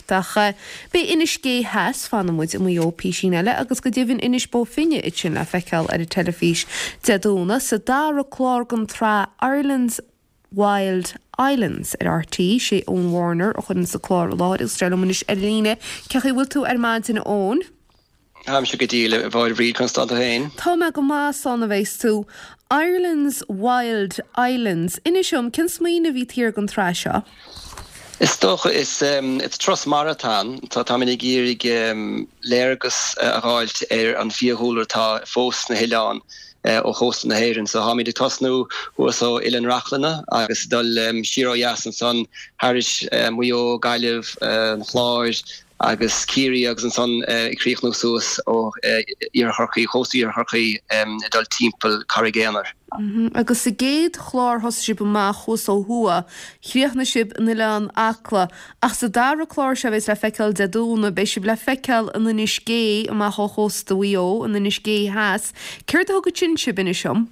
ceart. Ach beidh Inis Gé Theas, fanfaidh muid i Maigh Eo písín eile, agus go deimhin Inis Bó Finne ansin le feiceáil ar an teilifís Dé Domhnaigh sa dara clár den tsraith Ireland's Wild Islands ar RTÉ. Sé Eoin Warner a chuireann an clár i láthair agus tá sé liom anois ar líne. Cén chaoi a bhfuil tú ar maidin a Eoin? Táimse go diail, a Mháire Bhríd, conas tá tú féin? Tá mé go maith, slán a bheas tú. Ireland's Wild Islands. Inis dom, cén smaoineamh a bhí taobh thiar den tsraith seo? Is dócha, is turas mara atá ann. Táimid ag iarraidh léargas a dh'fháilt ar an bhfiadhúlra atá fós sna hoileáin ó chósta na hÉireann. So táimid ag tosnú thuas ó Oileán Reachlainn agus ag dul siar ó dheas ansan thairis Maigh Eo, Gaillimh, an Chláir, agus Ciarraí agus ansan ag críochnú suas ó Iarthar Chorcaí, chósta Iarthar Chorcaí ag dul timpeall Carraig Aonair. Agus sa gcéad chlár thosaigh sibh amach thuas ó thuaidh, chríochnaigh sibh in Oileán Acla, ach sa dara clár seo a bheas le feiceáil Dé Domhnaigh, beidh sibh le feiceáil in Inis Gé amach ó chósta Mhaigh Eo, in Inis Gé Theas. Céard a thug ansin sibh, inis dom?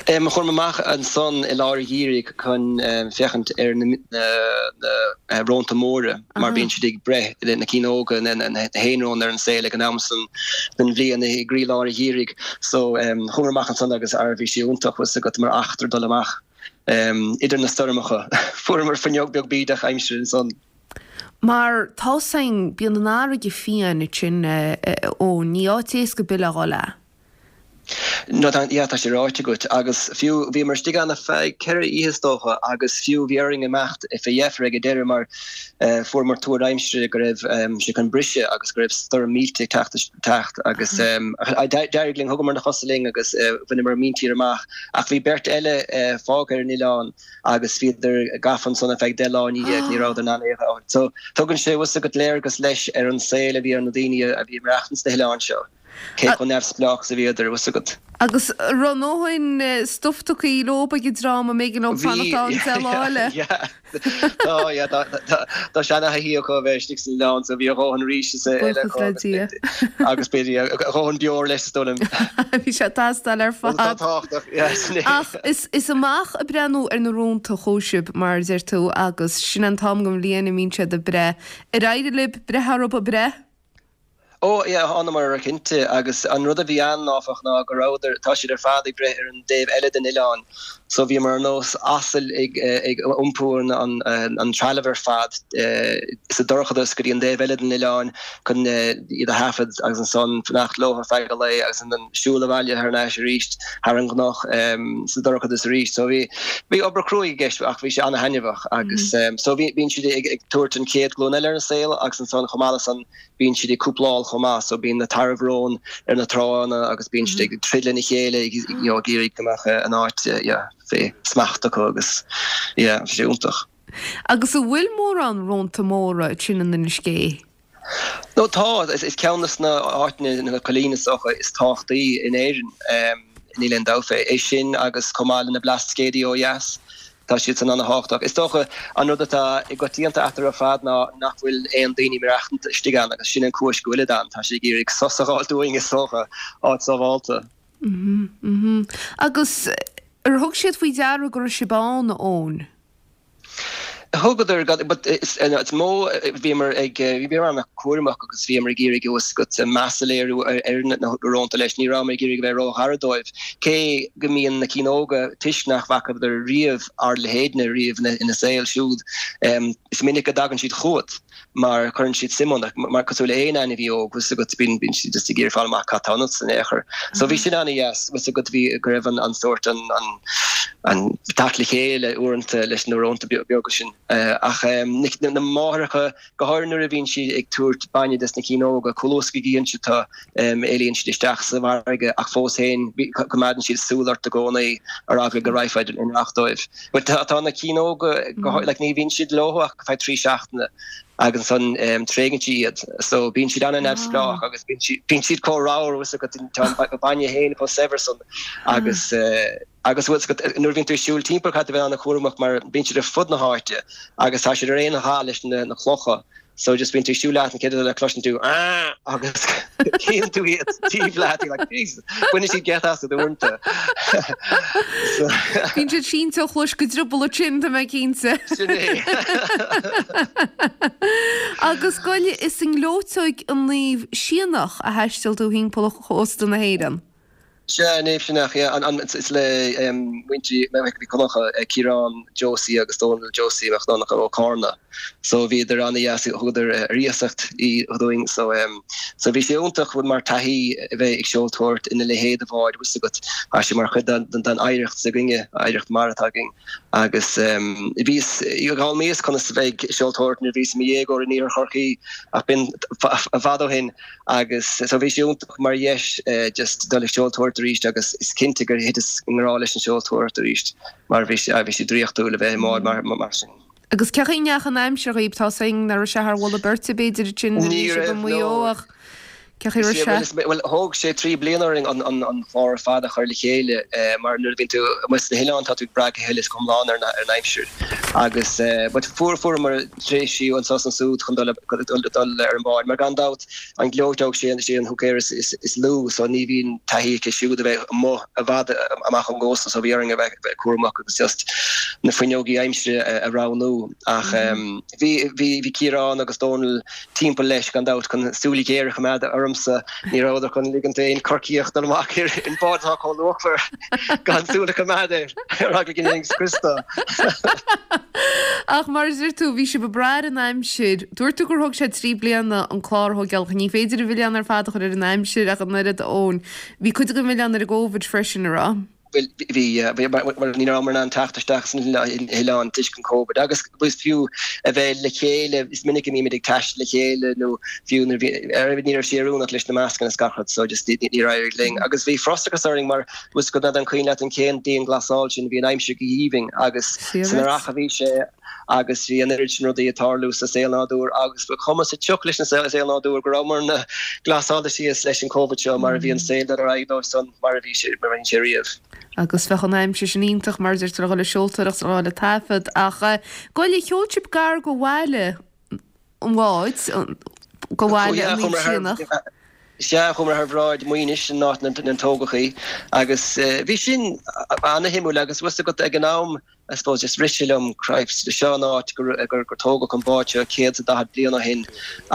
Chuamar amach ansan i lár an gheimhridh chun féachaint ar na rónta móra mar bíonn siad ag breith, na cinn óga, na haon-róin ar an saol ag an am san den bhliain i gcroílár an gheimhridh. So chuamar amach ansan agus ara bhí sé iontach, bhfuil 's agat, mar eachtra dul amach idir na stoirmeacha. Fuaireamar fuinneog beag bídeach aimsire ansan. Mar tá 's againn, bíonn an fharraige fiáin ansin, a Eoin, ní áit éasca ar bith le dhul é. No tá, yeah, tá sé ráite agat. Agus fiú, bhíomar istigh ann ar feadh 4 oíche is dócha agus fiú bhí orainn imeacht fé dheifir ag an deireadh mar fuaireamar tuar aimsire go raibh sé chun briseadh agus go raibh stoirm millteach ag teacht teacht agus d'éirigh linn, thugamar na cosa linn agus bhaineamar míntír amach ach bhí beirt eile fágtha ar an oileán agus bhíodar gafa ansan ar feadh 10 lá ina dhiaidh, ní rabhadar in ann é a fháil. So tugann sé, bhfuil 's agat, léargas leis ar an saol a bhí ar na daoine a bhí ag maireachtaint sna hoileáin seo. Cé chomh neamhspleách is a bhíodar, bhfuil 's agat. Agus an raibh a ndóthain stuif tugtha leo ag an dream an mb'éigean leo fanacht ann 10 lá eile. Yeah, tá, yeah, tá, tá, tá seana-thaithí acu a bheith istigh san oileán so bhí a dhóthain rís is eile acu Buíochas le Dia. agus b'fhéidir, yeah, a dhóthain beoir leis is dóigh liom. Bhí sé ag teastáil ar fad. Tá tábhachtach, yeah, sin é. Ach is, is amach ag breathnú ar na rónta a chuaigh sibh, mar a deir tú, agus sin an t-am den bhliain a mbíonn siad ag breith. Ar éirigh libh breith orthu ag breith? Ó, yeah, thánamar orthu cinnte, agus an rud a bhí ann, áfach, ná go rabhadar, tá siad ar fad ag breith ar an dtaobh eile den oileán, so bhíomar ar nós asail ag, ag iompú an, an, an trealamh ar fad sa dorchadas go dtí an dtaobh eile den oileán chun iad a thaifead agus ansan fanacht leo ar feadh an lae agus ansan siúl abhaile thar n-ais arís thar an gcnoc sa dorchadas arís. So bhí, bhí obair cruaidh i gceist ach bhí sé ana-thaitneamhach agus so bhí, bíonn siad ag, ag tabhairt an chéad ghlúin eile ar an saol agus ansan chomh maith le san Bíonn siad ag cúpláil chomh maith, so bíonn na tarbh-róin ar na tránna agus bíonn siad ag troid lena chéile ag you know ag iarraidh go mbeadh an áit yeah fé smacht acu agus yeah bhí sé iontach. Agus an bhfuil mórán rónta móra ansin in Inis Gé? No tá, is ceann de na áiteanna, na coillíní is dócha is tábhachtaí in Éirinn, níl aon dabht fé. É sin agus chomh maith le na Blascaodaí ó dheas. Tá siad san ana-thábhachtach. Is dócha an rud atá i gcoitianta eatarthu ar fad ná nach bhfuil aon daoine maireachtaint istigh ann agus sin an cúis go bhfuilid ann. Tá siad ag iarraidh sos a dh'fháilt uainn is dócha, áit sábhálta. Agus ar thug siad faoi deara go raibh sibh ann, a Eoin? Thugadar, but is mó bhíomar ag, bhíomar an-chúramach agus bhíomar ag iarraidh bhfuil 's agat meas a léiriú ar na rónta leis. Ní rabhamar ag iarraidh a bheith ró-ghar dóibh. Cé go mbíonn na cinn óga, toisc nach bhfacadar riamh ár leithéidne riamh ina saol siúd, is minic go dtagann siad chugat mar cuireann siad suim ionat, mar cosúil le aon ainmhí óg, bhfuil 's agat, bíonn bíonn siad just ag iarraidh fáil amach cad tá ionat in aon chor. So bhí sin an-dheas, bhfuil 's agat, bhí, go raibh an an sórt an an an teacht le chéile uaireanta leis na rónta beaga sin. Ach na máithreacha, go háirithe nuair a bhíonn siad ag tabhairt bainne dos na cinn óga, chomh luath is go gcíonn siad tú, éalaíonn siad isteach sa bhfarraige ach fós féin coimeádann siad súil ort i gcónaí ar eagla go raghfá i ndracht dóibh. But tá na cinn óga, like ní bhíonn siad leo ach feadh 3 seachtaine agus ansan tréigeann siad iad. So bíonn siad an-neamhspleách agus bíonn siad chomh ramhar, bhfuil 's agat, tá an bainne féin chomh saibhir san agus. Agus bhfuil 's agat, nuair a bhíonn tú ag siúl timpeall caithfidh tú a bheith an-chúramach mar bíonn siad ar fud na háite agus tá siad ar aon dhath leis na clocha. So just bíonn tú ag siúl leat an chéad rud eile cloiseann tú aah agus cíonn tú iad taobh leat you're like Jesus baineann siad geit asat uaireanta. So Bíonn siad sínte ó chluais go drioball ansin tá mé cinnte. Sin é. Agus gabh i leith is i ngleoiteog an Naomh Sionnach a thaistil tú thimpeall chósta na hÉireann. Sea, Naomh Sionnach, yeah, an, is le muintir Mhic Dhonncha, Ciarán Josie agus Dónal Josie Mac Donncha ó Carna. So bhíodar an-dheas, thugadar ar iasacht í dúinn. So, so bhí sé iontach mar taithí a bheith ag seoltóireacht ina leithéid de bhád, bhfuil 's agat, tá sé mar chuid den oidhreacht s'againne, oidhreacht mara atá againn. Agus bhíos, d'fhoghlaimíos conas a bheith ag seoltóireacht nuair a bhíos i mo dhéagóir in iarthar Chorcaí ach b'in i bhfad ó shin. Agus so bhí sé iontach mar dheis just dul ag seoltóireacht arís agus is cinnte gur thiteas i ngrá leis an seoltóireacht arís mar bhí sé, bhí sé draíochtúil a bheith i mbád mar, mar sin. Agus cén chaoi a ndeachaigh an aimsir dhaoib? Tá 's againn nach raibh sé thar mholadh beirte b'fhéidir ansin nuair a bhí Ní sibh i raibh, Maigh Eo no. ach cén chaoi a raibh sé? Bhuel, thóg sé 3 bliana orainn an clár ar fad a chur le chéile mar nuair a bhíonn tú amuigh sna hoileáin tá tú ag brath go huile is go hiomlán ar an aimsir agus but fuair, fuaireamar tréimhsí anso is ansúd chun dul ar an bhád mar gan dabht an ghleoiteog sé sé an húicéir is lú so ní bhíonn taithí aici siúd a bheith amuigh i bhfad amach ón gcósta so bhí orainn a bheith cúramach agus just na fuinneogaí aimsire a roghnú ach bhí bhí bhí Ciarán agus Dónal timpeall leis gan dabht chun súil ghéar a choimeád ormsa ní rabhadar chun ligint d'aon Chorcaíoch dul amach ar an bhád atá chomh luachmhar gan súil a choimeád air ar eagla go ndéanfainn scrios dó. Ach mar a deir tú, bhí sibh ag brath ar an aimsir. Dúirt tú gur thóg sé 3 bliana an clár a thógáil. Ní féidir an mhilleán ar fad a chur ar an aimsir ach an oiread, a Eoin. Bhí cuid den mhilleán ar an gCovid freisin, an raibh? Bhuel, bhí, bhí, mar ní rabhamar in ann teacht isteach sna hoileáin toisc an Covid agus is fiú a bheith le chéile, is minic a mbímid ag taisteal le chéile nó fiú nuair a bhí, ar, ní raibh sé oiriúnach leis na mascanna is gach rud so just níor éirigh linn. Agus bhí frustrachas orainn mar bhfuil 's agat n'fheadar an cuimhin leat an chéad dianghlasáil sin, bhí an aimsir go haoibhinn agus san earrach a bhí sé agus bhí an oiread sin rudaí ag tarlú sa saol nádúir agus ba chuma sa tsioc leis an saol nádúir go rabhamarna glasáilte síos leis an Covid seo mar a bhí an saol dul ar aghaidh dóibh san mar a bhí sé mar a bhí sé riamh. Agus bheadh an aimsir sin iontach mar a deir tú le dhul ag seoltóireacht le dhul ag taifead ach gabh i leith sheol sibh gar go bhaile an bháid, go bhaile an Naomh Sionnach. Sea, chuamar thar bhráid Mhaínis, an áit inar tógadh í, agus bhí sin ana-shuimiúil agus bhfuil 's agat ag an am, I suppose just rith sé liom, Christ, seo an áit gur gur tógadh an bád seo 140 bliain ó shin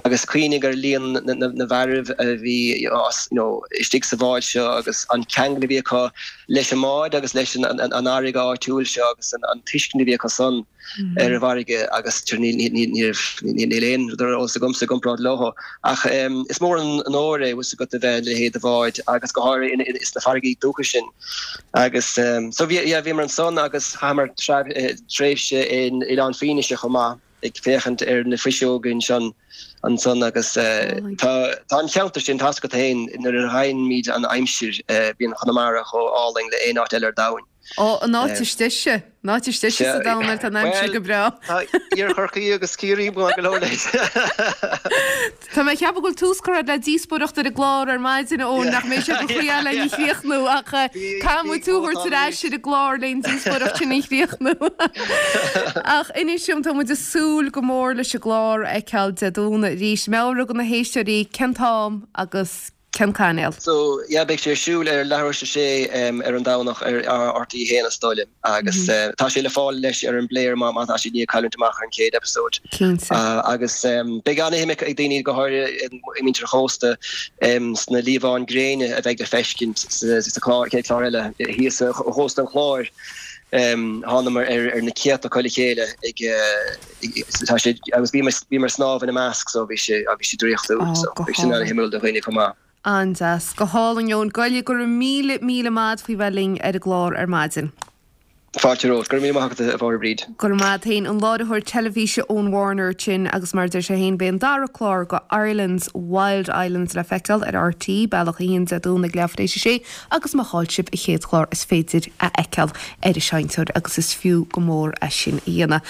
agus cuimhnigh ar líon na bhfearaibh a bhí you know istigh sa bhád seo agus an ceangal a bhí acu leis an mbád agus leis an an fharraige áitiúil seo agus an tuiscint a bhí acu san ar an bhfarraige agus níl níl aon rud ar eolas agamsa i gcomparáid leo. Ach is mór an onóir é bhfuil 's agat a bheith i leithéid de bhád agus go háirithe sna farraigí dúchais sin. Agus so bhí, yeah, bhíomar ansan agus chaitheamar tréimhse in Oileán Fínise chomh maith ag féachaint ar na fuiseoga ansan ansan agus tá tá an cheantar sin, tá's agat féin, nuair a fhaighimid an aimsir bíonn Conamara chomh álainn le aon áit eile ar domhain. Ó, an áit is deise. An áit is deise sa domhan nuair atá an aimsir go breá. Tá Iarthar Chorcaí agus Ciarraí maith go leor leis. Tá mé ag ceapadh go bhfuil tús curtha le díospóireacht ar an gclár ar maidin, a Eoin, nach mbeidh sé de chroí lena chríochnú ach caithfidh muid tú a thabhairt ar ais ar an gclár leis an díospóireacht sin a chríochnú. Ach inis dom, tá muid ag súil go mór leis an gclár a fheiceáil Dé Domhnaigh arís. Meabhraigh do na héisteoirí cén t-am agus Cén cainéal? So, yeah, beidh sé ar siúl ar leathuair tar éis a sé ar an Domhnach ar RTÉ 1 is dóigh liom agus tá sé le fáil leis ar an bplayer má má tá siad i ndiaidh cailliúint amach ar an chéad episode. Cinnte. Agus beidh an-shuim ag daoine, go háirithe muintir an chósta, sna liamháin gréine a bheidh le feiscint sa chlár, chéad chlár eile thíos ó chósta an Chláir. Thánamar ar na céadta acu le chéile ag Tá sé, agus bhíomar, bhíomar ag snámh ina measc so bhí sé, bhí sé draíochtúil Ó, so go bhí sin hálainn. an-shuimiúil do dhaoine chomh maith. An-deas. Go hálainn, Eoin. Gabh i leith, go raibh míle, míle maith agat faoi bheith linn ar an gclár ar maidin. Fáilte romhat. Go raibh míle maith agat, a Mháire Bríd. Go raibh maith agat féin. An láithreoir teilifíse Eoin Warner ansin agus mar a deir sé féin beidh an dara clár de Ireland's Wild Islands le feiceáil ar RTÉ, Bealach 1 Dé Domhnaigh leathuair tar éis a sé agus má chaill sibh an chéad chlár is féidir a fheiceáil ar an seinnteoir agus is fiú go mór é sin a dhéanamh.